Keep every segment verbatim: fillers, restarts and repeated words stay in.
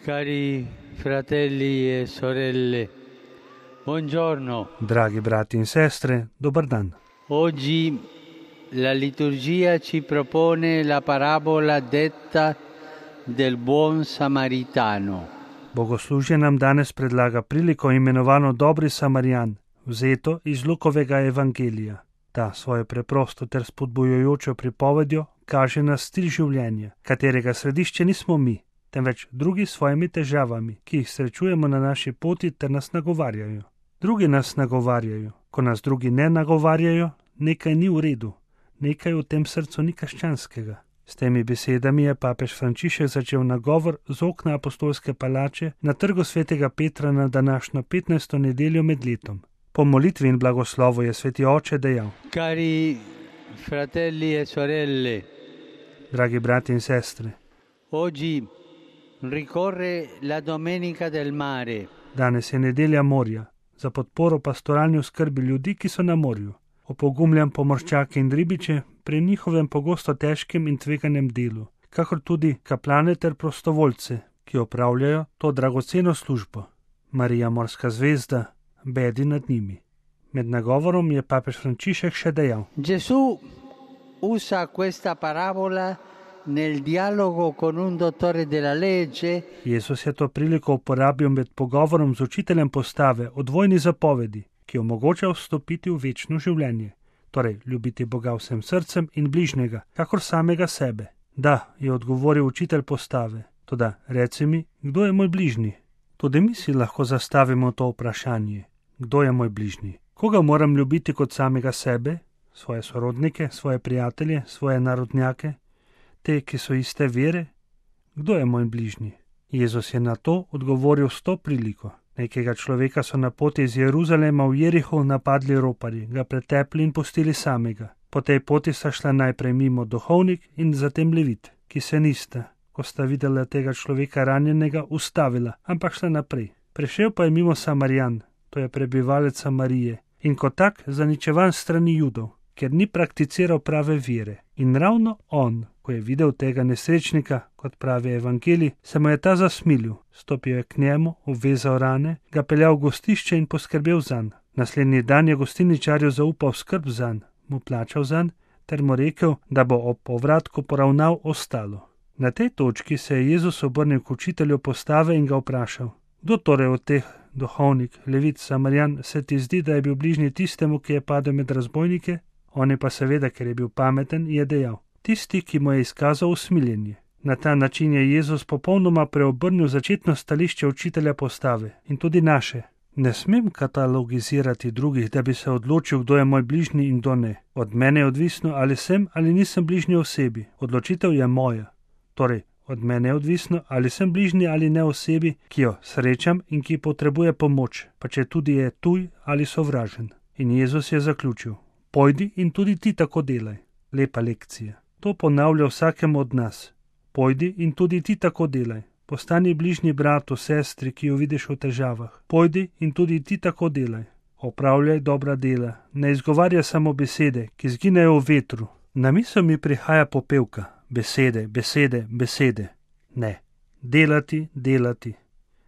Cari fratelli e sorelle, buongiorno. Dragi brati in sestre, dobar dan. Oggi la liturgia ci propone la parabola detta del buon samaritano. Bogoslužje nam danes predlaga priliko imenovano Dobri Samarijan, vzeto iz Lukovega evangelija. Ta svojo preprosto ter spodbujajočo pripovedjo kaže na stil življenja, katerega središče nismo mi, temveč drugi s svojimi težavami, ki jih srečujemo na naši poti ter nas nagovarjajo. Drugi nas nagovarjajo. Ko nas drugi ne nagovarjajo, nekaj ni v redu, nekaj v tem srcu ni krščanskega. S temi besedami je papež Frančišek začel nagovor z okna apostolske palače na trgu svetega Petra na današnjo petnajsto nedeljo med letom. Po molitvi in blagoslovu je sveti oče dejal: Cari fratelli e sorelle, dragi brati in sestre, oggi ricorre la Domenica del Mare. Danes je nedelja morja, za podporo pastoralni oskrbi ljudi, ki so na morju. Opogumljam pomorščake in ribiče pri njihovem pogosto težkem in tveganem delu, kakor tudi kaplane ter prostovoljce, ki opravljajo to dragoceno službo. Marija, morska zvezda, bedi nad njimi. Med nagovorom je papež Frančišek še dejal: Gesù usa questa parabola nel dialogo con un dottore della legge. Jezus je to priliko uporabil med pogovorom z učiteljem postave o dvojni zapovedi, ki omogoča vstopiti v večno življenje, torej ljubiti Boga vsem srcem in bližnjega, kakor samega sebe. Da, je odgovoril učitelj postave, toda reci mi, kdo je moj bližnji? Tudi mi si lahko zastavimo to vprašanje. Kdo je moj bližnji? Koga moram ljubiti kot samega sebe? Svoje sorodnike, svoje prijatelje, svoje narodnjake? Te, ki so iste vere? Kdo je moj bližnji? Jezus je na to odgovoril s to priliko. Nekega človeka so na poti iz Jeruzalema v Jeriho napadli roparji, ga pretepli in pustili samega. Po tej poti sta šla najprej mimo duhovnik in zatem levit, ki se nista, ko sta videla tega človeka ranjenega, ustavila, ampak šla naprej. Prišel pa je mimo Samarijan, to je prebivalec Samarije, in kot tak zaničevan strani Judov, ker ni prakticiral prave vere. In ravno on, ko je videl tega nesrečnika, kot pravi evangelij, se mu je ta zasmilil, stopil je k njemu, obvezal rane, ga peljal v gostišče in poskrbel zanj. Naslednji dan je gostilničarju zaupal skrb zanj, mu plačal zanj, ter mu rekel, da bo ob povratku poravnal ostalo. Na tej točki se je Jezus obrnil k učitelju postave in ga vprašal: Kdo torej od teh, duhovnik, levit, Samarijan, se ti zdi, da je bil bližnji tistemu, ki je padel med razbojnike? On je pa seveda, ker je bil pameten, je dejal: Tisti, ki mu je izkazal usmiljenje. Na ta način je Jezus popolnoma preobrnil začetno stališče učitelja postave in tudi naše. Ne smem katalogizirati drugih, da bi se odločil, kdo je moj bližnji in kdo ne. Od mene je odvisno, ali sem ali nisem bližnji osebi. Odločitev je moja. Torej, od mene je odvisno, ali sem bližnji ali ne osebi, ki jo srečam in ki potrebuje pomoč, pa če tudi je tuj ali sovražen. In Jezus je zaključil: Pojdi in tudi ti tako delaj. Lepa lekcija. To ponavlja vsakemu od nas. Pojdi in tudi ti tako delaj. Postani bližnji bratu, sestri, ki jo vidiš v težavah. Pojdi in tudi ti tako delaj. Opravljaj dobra dela. Ne izgovarjaj samo besede, ki zginejo v vetru. Na misel mi prihaja popevka. Besede, besede, besede. Ne. Delati, delati.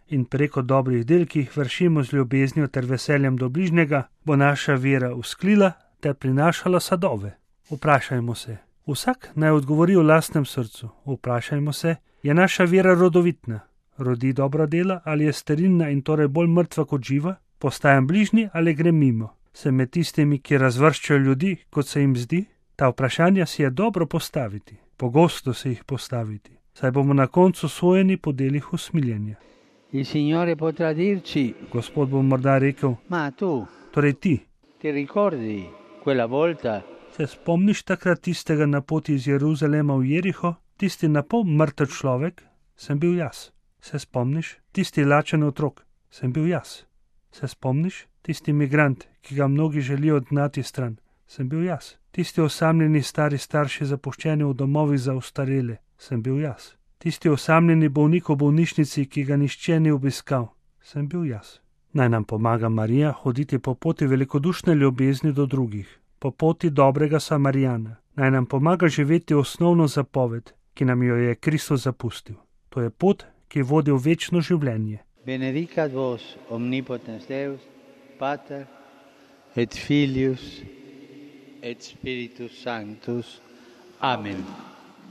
In preko dobrih del, ki jih vršimo z ljubeznijo ter veseljem do bližnjega, bo naša vera usklila ter prinašala sadove. Vprašajmo se. Vsak naj odgovori v lastnem srcu. Vprašajmo se, je naša vera rodovitna? Rodi dobra dela ali je sterilna in torej bolj mrtva kot živa? Postajam bližnji ali grem mimo? Sem med tistimi, ki razvrščajo ljudi, kot se jim zdi? Ta vprašanja si je dobro postaviti. Pogosto se jih postaviti. Saj bomo na koncu sojeni po delih usmiljenja. Il Signore potrà dirci: Gospod bo morda rekel: Ma tu, torej ti, ti ricordi quella volta? Se spomniš takrat tistega na poti iz Jeruzalema v Jeriho? Tisti napol mrtev človek? Sem bil jaz. Se spomniš? Tisti lačen otrok? Sem bil jaz. Se spomniš? Tisti migrant, ki ga mnogi želijo odgnati stran? Sem bil jaz. Tisti osamljeni stari starši zapuščeni v domovih za ostarele? Sem bil jaz. Tisti osamljeni bolnik v bolnišnici, ki ga nišče ni obiskal? Sem bil jaz. Naj nam pomaga Marija hoditi po poti velikodušne ljubezni do drugih, po poti dobrega Samarijana. Naj nam pomaga živeti osnovno zapoved, ki nam jo je Kristus zapustil. To je pot, ki vodi v večno življenje. Benedicat vos omnipotens Deus, Pater et Filius et Spiritus Sanctus. Amen.